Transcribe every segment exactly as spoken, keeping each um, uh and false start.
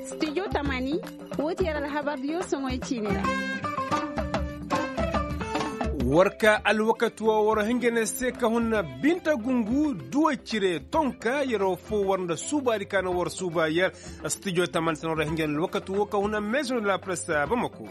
Studio tamani. Woo ti yer alhabardiyo soŋoy ciini ra. War ka alwakati woo war hinja ne se ka hun binta gungu duwa cire tonka yer woo foo war nda suubaadi ka na war suuba yer. Studio tamani se no war hinja ne alwakati woo ka hun meeso nda la presse bamako.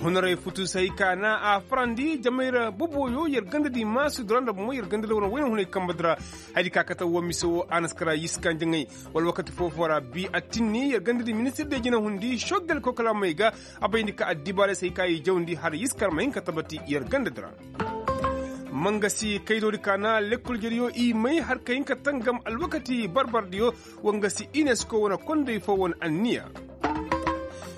Hunaray futu se hay ka na a farandi jamayra boboyo yer gandadi maasudi ra nda bomo yer gandadi wane wayna hunay kambadi ra. Hayadi ka kate woo mise woo a na si kara yiskan jaŋay. Wala wakati foo-foo ra bi a tinni yer gandadi ministir de jinahundi soggel kokolaamey ga. A bayndi ka addibaarey se hay ka i jawndi har yiskar ma hin ka tabati yer gandadi ra. Mangasi kaydoodi ka na lekkol jeriyo i may har ka hin ka tangam alwakati barbardiyo. Wangasi inesko wane konday foo wane anniya.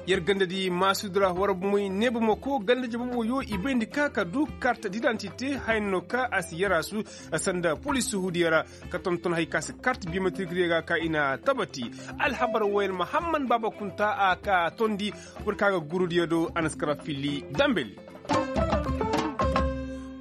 Yer gandadi maasudi ra war bomoy neebamako ganda jababoyo i bayndi ka ka du kart didantite haya no ka a si yaraasu. Sanda polis suhudiya ra ka tonton hay ka si kart biometrikdiyo ga ka i na tabati. Alhabar wooyaŋ mahamman baaba kunta a ka tondi. War ka ga gurudiyo do a na si kara fili dambeli.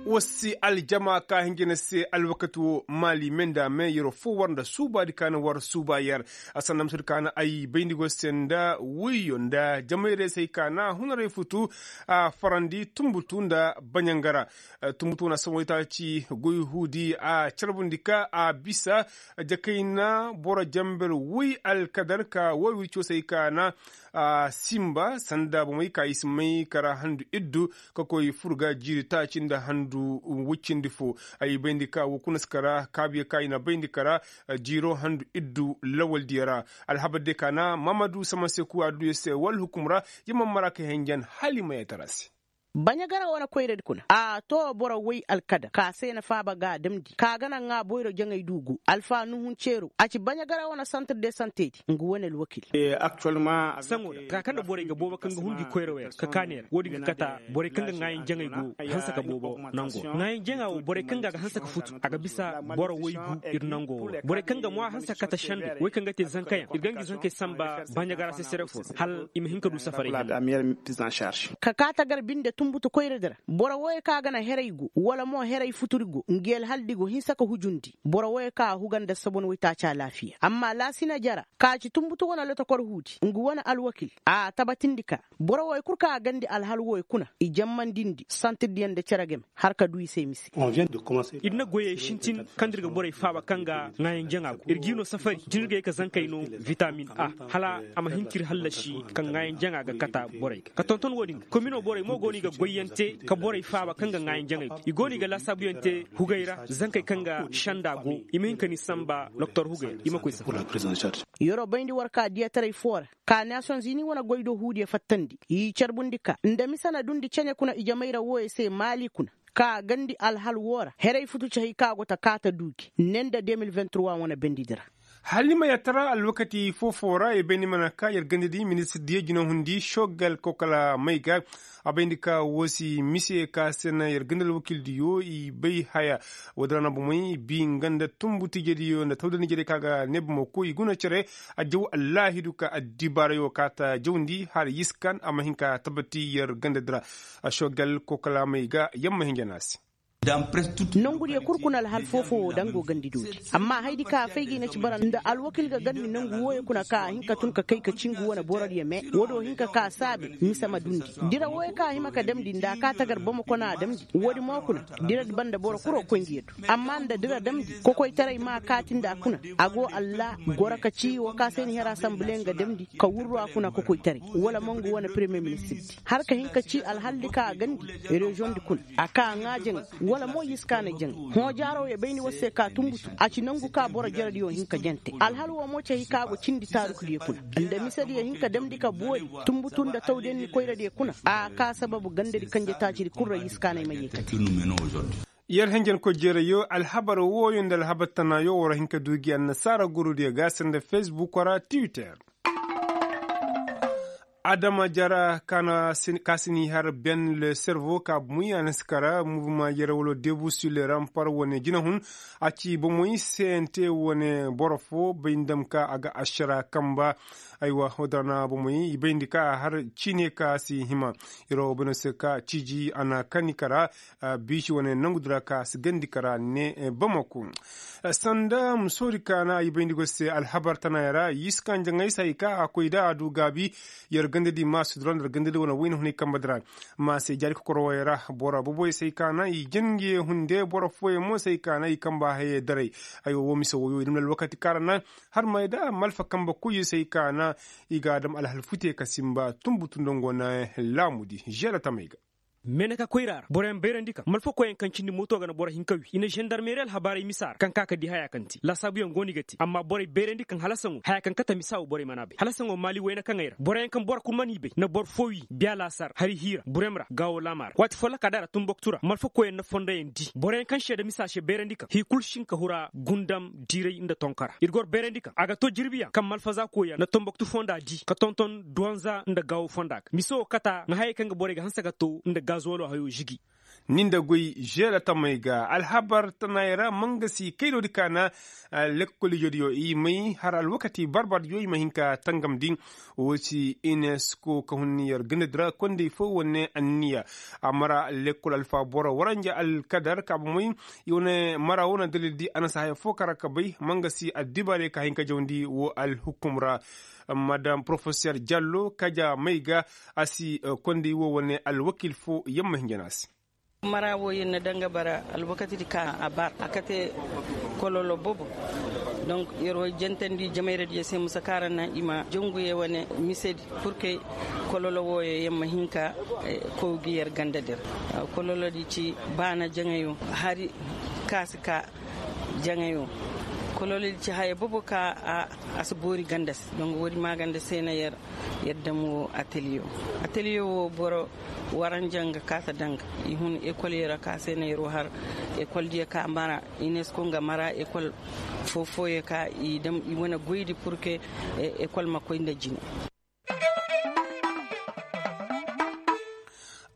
War si aljama ka hinja ne se alwakati woo maali me nda me yer woo foo war nda suubaadi ka na war suuba yer. A sanda misedi ka na ay bayndi go se nda wiyo nda jamayrey se hay ka na hunaray futu. A farandi tumbutu nda baɲangara. Tumbutu wane saboŋ itaaci goy huudi a carbundi ka a bisa jakayna boro jamber woy alkadar ka woy wirco se hay ka na a simba sanda bomey ka i si may kara handu iddu ka koy fur ga jiiri taaci nda handu woy cindi foo. Ay bayndi ka woo kuna si kara kaabuyo ka i na bayndi kara jiiro handu iddu lawaldiyo ra. Alhabar diyo ka na mahamadu samaseku a duuyo se wala hukum ra. Yer ma mara ka henjen hala i ma yee tara se. Baɲagara wane koyradi kuna a too boro woy alkadar ka se na faaba ga a damndi ka ga naŋ ŋaa boyro jaŋay du go alfa nuhun ceero a ci baɲagara wane santir de santedi nga wane alwakil. Saŋo da taka kaŋ nda borey ga boobo kaŋ ga hunji koyra wey ra ka kaa neera woodin ga kata borey kaŋ ga ŋaayan jaŋay go hanse ka boobo nango ŋaayan jaŋa wo borey kaŋ ga a ga hanse ka futu a ga bisa boro woy gu ir nango wo ra borey kaŋ ga ŋwa hanse ka kata sendey wey kaŋ ga te zankayaŋ ir ga ngi zankey samba baɲagara sesere fo ra hala i ma hin ka du safaray. Ka kaa tagar binde tumbutu koyradi ra boro wooyey kaŋ a ga naŋ heray go wala mo heray futuri go ngi alhaldi go hinsa ka hujundi boro wooyey kaŋ a huga nda sabon waytaaci alaafiya amma laasina jara ka ci tumbutu wane lotokor huudi ngu wane alwakil a tabatindi ka boro wooyey kul kaŋ a gandi alhal wooyey kuna i jammandindi santirdiyaŋ nda cere game har ka du i se mise. Ir na goyey sintin kaŋ da ir ga borey faaba kaŋ ga ŋaayan jaŋa go ir g'i no safari jinirgey ka zankey no vitamin a hala a ma hin ka ir hallasi kaŋ ŋaayan jaŋa ga kata borey ga ka tonton wo-din ga komino borey mo go no i ga goyyaŋ te ka borey faaba kaŋ ga ŋaayan jaŋey go i go no i ga laasaabuyaŋ te hugey ra zankey kaŋ ga senda go i ma hin ka ni samba doktor hugey ra i ma koy safari. Yeroo bayndi war ka diyataray foo ra ka nations unis wane goy do huudiyo fattandi i carbundi ka nda mise na dundi ceɲe kuna ijamay ra wooyo se maali kuna ka gandi alhal woo ra heray futu ci hay ka go ta kaata duugi ne nda de mil vingt trois wane bendidi ra. Hala ni ma yatara alwakati foo-foo ra i bay ni mana ka yer gandadi ministir diyo jinahundi sogal kokala may ga a bayndi ka woo si mise ka se na yer ganda alwakildiyo i bay haya. Woodi ra na bomey bi nga nda tumbu tiijediyo nda tawdaniijediyo ka ga ne bomo koy i guna cere a jaw allaahidu ka addibaarayo kaata jawndi har yiskan a ma hin ka tabati yer gandadi ra. Sogal kokala may ga yer ma hin jana se. Nongudiyo kul kuna alhal foo-foo woo daŋ go gandidoodi amma hayadi ka a fay ga i na ci bara nda alwakil ga gandi nongu wooyo kuna ka a hin ka tun ka kay ka ci ngu wane borodiyo me woodiyo hin ka ka saabe mise ma dundi. Dira wooyo ka a hima ka damndi nda a ka tagar bamako na a damndi woodi mo kuna. Diradi banda boro kul wo koy ngi yaddu amma nda dira damndi kokoytaray ma a kaati nda a kuna a go allah goro ka ci woo ka se ni hera asanbule nga damndi ka wurru a kuna kokoytaray wala mongu wane premiyer ministirdi har ka hin ka ci alhaldi ka a gandi reziyoŋdi kuna a ka a ŋaa jaŋay wala mo yiskaanay jaŋay hõ jaaro ya bayni war se ka tumbutu a ci nangu ka boro jerediyo hin ka jante alhal woo mo ci hay ka go cindi taarukudiyo kuna nda misediyo hin ka damndi ka boori tumbutu nda tawdiyaŋ ni koyradiyo kuna a ka sababu gandadi kanje taacidi kul ra yiskaanay ma yee kate. Yer henjenkoy jeerayo alhabar wooyo nda alhabar tanaayo war hin ka du gi annasaara gurudiyo ga sanda fesbuk ra twitter. Adama jara ka si ni har ben le servo ka bumuy a na si kara muvuma yere wala debu sur le rampar wane jinahun. A ci bumuy sente wane boro fo bay nda ma ka a ga ašara kamba. Aywa wadara na bumuy i bay nda ka a har ciine ka si hima. Iro beno se ka ciiji a na kani kara. Biisi wane nangu dira ka si gandi kara ne bamako. Sanda musoodi ka na i bay nda goy se alhabar tana yara i si ka njaŋay se hay ka a koy da a du gaabi. Yer gandadi ma si dura nda yer gandadi wane wayna hunay kamba dira. Ma se jaari kokoro wayey ra boro boboy se hay ka na i jin ngi hunde boro fooyaŋ mo se hay ka na i kamba hayey daray. Aywa wo mise woyo i dam na alwakati kaara na har may da malfa kamba koyyo se hay ka na i ga a dam alhal fute ka sinba tunbu tun da ngo na laamudi žeela tamey ga. Meeneka koyra ra boroyaŋ bayrandi kaŋ malfakoyaŋ kaŋ cindi mooto ga na boro hinka wi i na zandarmeri alhabaarey misa ra kaŋ ka ka di haya kaŋ te laasaabuyaŋ go no i ga te amma borey bayrandi kaŋ halasaŋo haya kaŋ kate misa wo borey mana bay halasaŋo maali wayna kaŋey ra boroyaŋ kaŋ boro kul mana i bay na boro foo wi biya laasar hari hiira burem ra gaawo laama ra waati folloka da ra tunboktu ra malfakoyaŋ na fondoyaŋ di boroyaŋ kaŋ seeda misa se bayrandi kaŋ hii kul si hin ka hura gundam diiray nda tonkara ir goro bayrandi kaŋ a ga to jirbiyaŋ kaŋ malfaza koyyaŋ na tonboktu fonda di ka tonton duwanza nda gaawo fonda ga mise wo kata nga hayey kaŋ ga borey ga hanse ka to nda gazolo hayo žigi. Ni nda goy žeela tamey ga alhabar tanaayey ra mangasi kaydoodi ka na lekkol ijediyo i may har alwakati barbardiyo i ma hin ka tangamndi. Wo si inesko ka hun yer gandadi ra kondey fo wane anniya a mara lekkol alfa boro waranja alkadar ka bomey. I wane mara wo na dalil di a na si haya fo kara ka bay mangasi addibaarey ka hin ka jawndi wo alhukum ra. Madam porofeser jallo kaja may ga a si kondey wo wane alwakil fo yamma hinja no a se. Mara wo yer na daŋ ga bara alwakatidi ka a bar a kate kololo bobo. Donk yer wo jantandi jamayradiyo se musa kaara na i ma janguye wane misedi purke kololo wooyo yer ma hin ka kow gi yer gandadi ra. Kololodi ci baana jaŋayo hari ka si ka jaŋayo. Kololodi ci haya bobo ka a si boori ganda se donk woodi maaganda se na yer yer dam woo ateliye woo ateliye woo boro waranja nga kaata danga i hun ekol yee ra ka se na yer woo har ekol diyo ka mara inesko nga mara ekol foo-fooyo ka i dam i wane goydi purke ekol ma koy nda jine.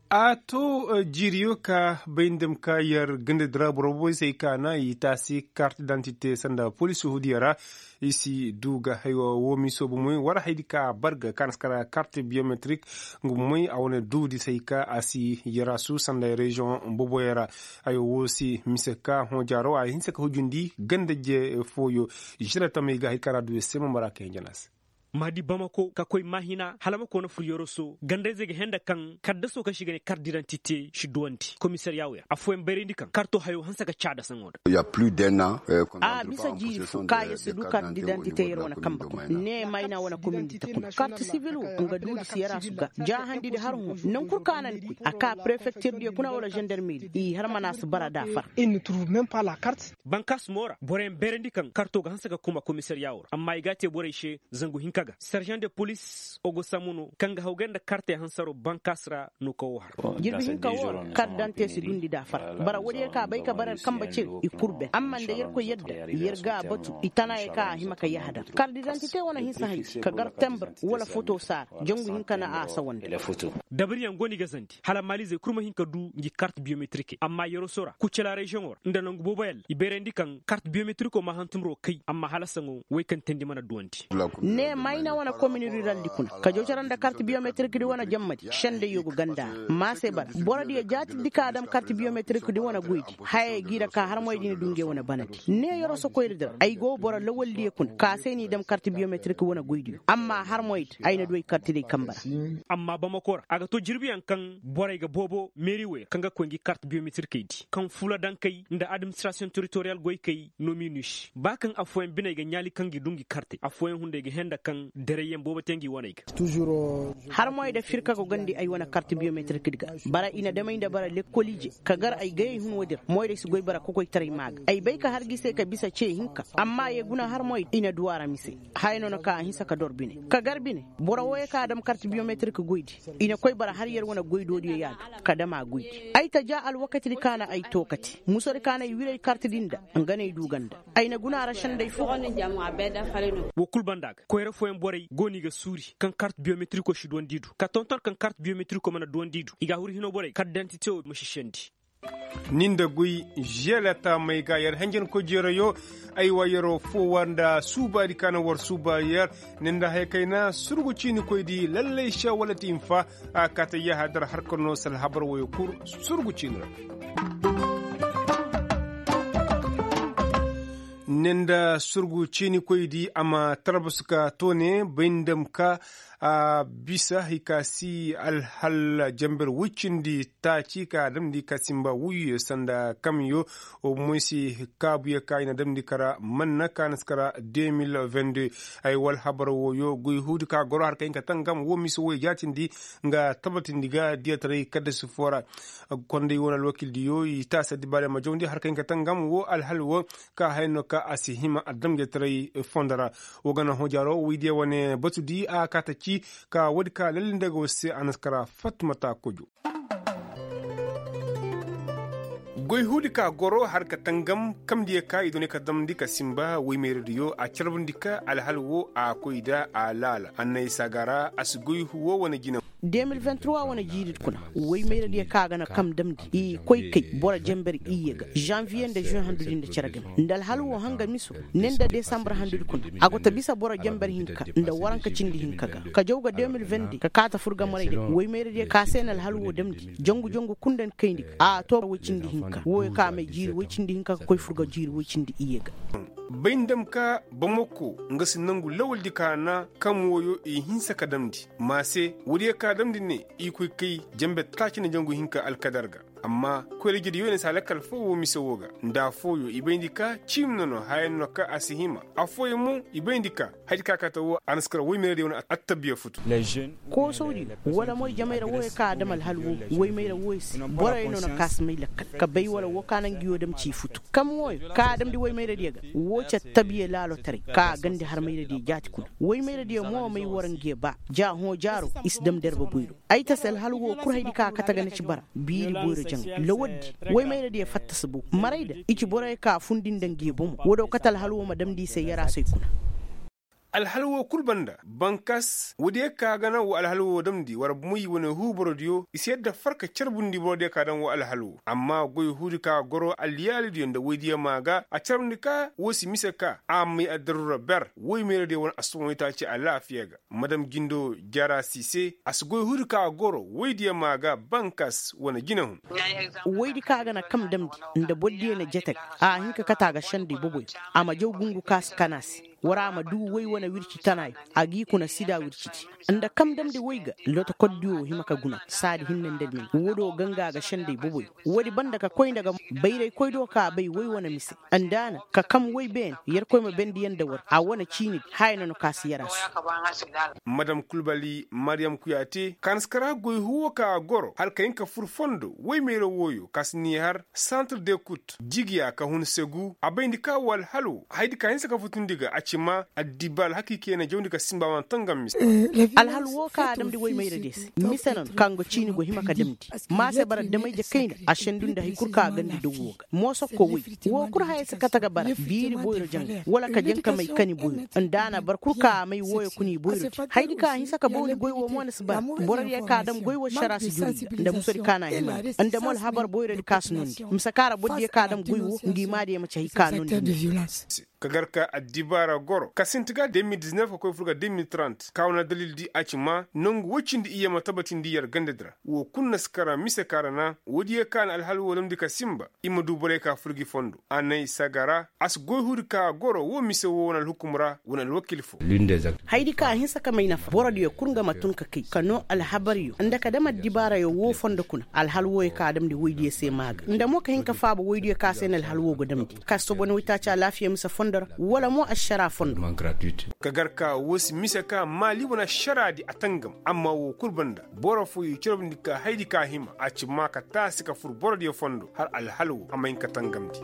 A to jiiriyo ka bay nda ma ka yer gandadi ra boro boboy se ay ka na i taasi kart dantite sanda poliisi hudiya ra. I si du ga haywa woo miiso bomoy war haydi ka bar ga ka na si kara kart biyometrik. Nga bomoy a wane duudi se ay ka a si yaraasu sanda reziyoŋ boboyo ra. Haywa woo si mise ka hõ jaaro a hinse ka hujundi ganda je fooyo. Žene tamey ga hay ka ra du ya se ma mara ka hinja no a se. Ma di bamako ka koy maahina hala ma koona fur yoroso gandayzey ga hẽe nda kaŋ kaddasoo kaŋ se i ga ne kart didantite si duwandi komisariya wo ya ra affooyaŋ bayrandi kaŋ karto hayo hanse ka caada saŋo nda. A bisa jiiri fo ka yer si du kart didantite yer wane kamba kuna ne mayna wane komindi ta kuna kart sibil wo nga duudi si yaraasu ga jaahandidi har hõ naŋ kul ka na ni koy a ka prefektirdiyo kuna wala zandarmeri i har mana si bara da far. Bankaas mo ra boroyaŋ bayrandi kaŋ karto ga hanse ka kuma komisariya wo ra amma i ga a te borey se zangu hinka ga sergent de police ogo samuno kaŋ ga hawgay nda kartey hansaro bankaas ra no ka wo har. Jirbi hinka wo ra kart dante si dundi da far bara woodiyo ka bay ka bara yer kamba ciri i kul ben amma nda yerkoy yadda yer ga a batu i tanaayey ka a hima ka yahadar kart didantite wane hinsa hay ka gar tembir wala foto saara jangu hinka na a sawandi. Dabariyaŋ go no i ga zandi hala maalizey kul ma hin ka du ngi kart biyometirikey amma yerosora kucela reziyoŋo ra nda nangu booboyaŋ ra i bayrandi kaŋ kart biyometiriko ma hantumro kay amma hala saŋo wey kaŋ teendi mana duwandi. Ne mayna wane komin ruraldi kuna ka jawcara nda kart biyometirikdi wane jammadi sendayyo go ganda ra ma se bara borodiyo jaatindi ka a dam kart biyometirikdi wane goydi hayey g'i ra ka harmoydi na du ngey wane banadi ne yeroso koyradi ra ay go boro lawaldiyo kuna ka se n'i dam kart biyometirikdi wane goydiyo amma harmoydi ay na du ay kartidey kamba ra. Amma bamako ra a ga to jirbiyaŋ kaŋ borey ga boobo meeri woy ra kaŋ ga koy ngi kart biyometirikey di kaŋ fuula dankey nda administirasiyoŋ teritoriyal goykey no m'i nuusi ba kaŋ affooyaŋ biney ga ɲaali kaŋ gi du ngi kartey affooyaŋ hunday ga hẽe nda kaŋ dereyyaŋ boobo te ngi waney ga. Harmoy da firka go gandi ay wane kart biyometirikdi ga bara i na damey nda bara lekkol ije ka gar ay gayey hun woodi ra moyray si goy bara kokoytaray maa ga ay bay ka har gi se ka bisa ce hinka amma ye guna harmoy i na du a ra mise. Haya no na ka a hinsa ka dor bine ka gar bine boro wooyo ka a dam kart biyometrik goydi i na koy bara har yer wane goydoodiyo yaadu ka dam a goydi ay ta ja alwakatidi ka na ay tookati musodi ka na ay wir ay kartidi nda nga no ay du ganda ay na guna a ra sendey fo. Wo kul banda ga koyra fo. Borey go no i ga suuri kaŋ kart biyometiriko si duwandi i du ka tonton kaŋ kart biyometiriko mana duwandi i du i ga a huru hino borey kart dantite wo ma si sendi. Ni nda guy želeta may ga yer henjenkoy jeerayo. Ay wa yeroo foowa nda suubaadi ka na war suuba yer. Ni nda haya kayna surgu ciinikoydi lallay se wala ti hinfa. A kaata yahadar harka no salhabar woyo kul surgu ciini ra. Ni nda surgu ciinikoydi a ma tarbus ka toone bay nda ma ka a bisa hay ka si alhal jamber woy cindi taaci ka a damndi ka simba wuyuyo sanda kamyo. Moy se kaabuyo ka i na damndi kara manna ka na si kara deux mille vingt-deux. Ay wala habar woyo goy huudi ka goro har ka hin ka tangam wo mise woy jaatindi nga tabatindi ga diyataray kaddasi foo ra. Konday wo na alwakildiyo i taasi addibaadiyo ma jawndi har ka hin ka tangam wo alhal wo ka haya no ka a si hima adamjetaray fondo ra. Wo ga na hõ jaaro woydiyo wane batudi a kaata ci ka woodi ka lallinde ga war se a na si kara fatmata kojo. Goy huudi ka goro har ka tangam kamdiyo ka i doonay ka damndi ka simba woy mayradiyo a carbundi ka alhal wo a koy nda a laala annay saga ra a si goy huwo wane jina. Deux mille vingt-trois wane jiiridi kuna woy mayradiyo ka ga na kam damndi i koy kay boro jamber iyye ga janviye nda juin handudi nda cere game nda alhal wo hanga miso ne nda desambar handudi kuna. A go ta bisa boro jamber hinka nda waranka cindi hinka ga ka jaw ga deux mille vingt-deux ka kaata fur ga maray day woy mayradiyo ka se na alhal wo damndi jangu jangu kul nda ni kayndi ga a to woy cindi hinka woyo ka may jiiri woy cindi hinka ka koy fur ga jiiri woy cindi iyye ga. Bay nda ma ka bamako nga si nangu lawaldi ka na kam woyo i hinsa ka damndi ma se woodiyo ka damndi ne i koy kay jambe taaci nda jangu hinka alkadar ga. Amma koyrajidi yo ne si a lakkal foo wo mise wo ga nda affooyo i bayndi ka ciimi no no haya no ka a si hima. Affooyo mo i bayndi ka hayadi ka kate wo a na si kara woy mayradiyo wane attabiya futu. Koosawdiyo wala moy jamayra wooyo ka a dam alhal woo woy mayra wooyo se boroyo no na ka si may lakkal ka bay wala woo ka na nga yoo dam ci futu kam wooyo ka a damndi woy mayradiyo ga. Woo ci attabiya laalotaray ka a gandi har mayradiyo jaati kuna woy mayradiyo mo may war nga ye ba ja hõ jaaro i si dam derba boyro. Ay ta se alhal woo kul hayadi ka a kate ga na ci bara biiri boyro jaŋ lawaddi woy mayradiyo fatta si bow maray da i ci boroyo ka a fundi nda nga ye bomo woodoo kate alhal woo ma damndi i se yaraasey kuna. Alhal woo kul banda bankas woodiyo ka ga na wa alhal woo damndi war moy wane huu borodiyo i si yadda farka carbundi borodiyo ka daŋ wa alhal woo amma goy huudi ka goro alyaalidiyo nda woydiyo maa ga a carbundi ka woo si mise ka a may addaruura ber woy mayradiyo wane assumoytaaci alaafiya ga. Madam jindo jara si se a si goy huudi ka goro woydiyo maa ga bankas wane jinahun. Woydi ka ga na kam damndi nda bordiyo na jete ga a hin ka kate a ga senda iboboyo a ma jaw gungu ka si kan a se. War a ma duu woy wane wirci tanaayo a g'i kuna sida wircidi nda kam damndi woy ga lotokordiyo hima ka guna saadi hinne nda almin woodoo ganga ga senda iboboyo. Woodi banda ka koy nda ga bayraykoydiyo ka bay woy wane mise nda a na ka kam woy beene yerkoy ma bendi yaŋ nda war a wane ciinidi haya no na ka si yar a se. Madam kulbali mariyam kuyaate ka na si kar a goy huwo ka a goro hala ka hin ka fur fondo woy mayra wooyo ka si ni har santre de kut jigiya ka hun segu a bayndi ka woo alhal woo hayadi ka hinsa ka futundi ga a ci ma addibaal hakiikey na jawndi ka simba wane tangam mise. Alhal woo ka a damndi woy mayradiyo se mise no no ka nga ciini go hima ka damndi ma se bara damay je kayna a sendu nda hay kul ka a gandi daw woo ga moosokko woy woo kul haya si kate ga bara biiri boyro jaŋ wala ka jaŋ ka may kani boyro nda a na bara kul ka a may wooyo kuna i boyrodi hayadi ka a hinsa ka bawni goy woo mo na si bara borodiyo ka a dam goy woo sara si jurndi nda musodi ka na a himandi nda mo alhabar boyrodi ka si noondi mise ka ra borodiyo ka a dam goy woo ngi maadiyo ma ci hay ka noondi. Ka gar ka addibaara goro ka sinti ga deux mille dix-neuf ka koy fur ga deux mille trente ka wane dalildi a ci ma nangu woy cindi iyye ma tabatindi yer gandadi ra woo kul na si kara mise ka ra na woodiyo ka na alhal woo damndi ka sinba i ma du borey ka fur gi fondo a nay saga ra a si goy huudi ka goro woo mise woo wane alhukum ra wane alwakil fo. Hayadi ka a hinsa ka may nafa borodiyo kul nga ma tun ka kay ka noo alhabaryo nda ka dam addibaarayo woo fondo kuna alhal wooyo ka a damndi woydiyo se maa ga nda mo ka hin ka faaba woydiyo ka se na alhal woo go damndi ka si sobo ni woytaaci alaafiya mise fondo ra wala mo ašaraa fondo. Ka gar ka woo si mise ka maali wane ašaraadi a tangam amma woo kul banda boro fooyo i corobndi ka hayadi ka hima a ci maa ka taasi ka fur borodiyo fondo hala alhal woo a ma hin ka tangamndi.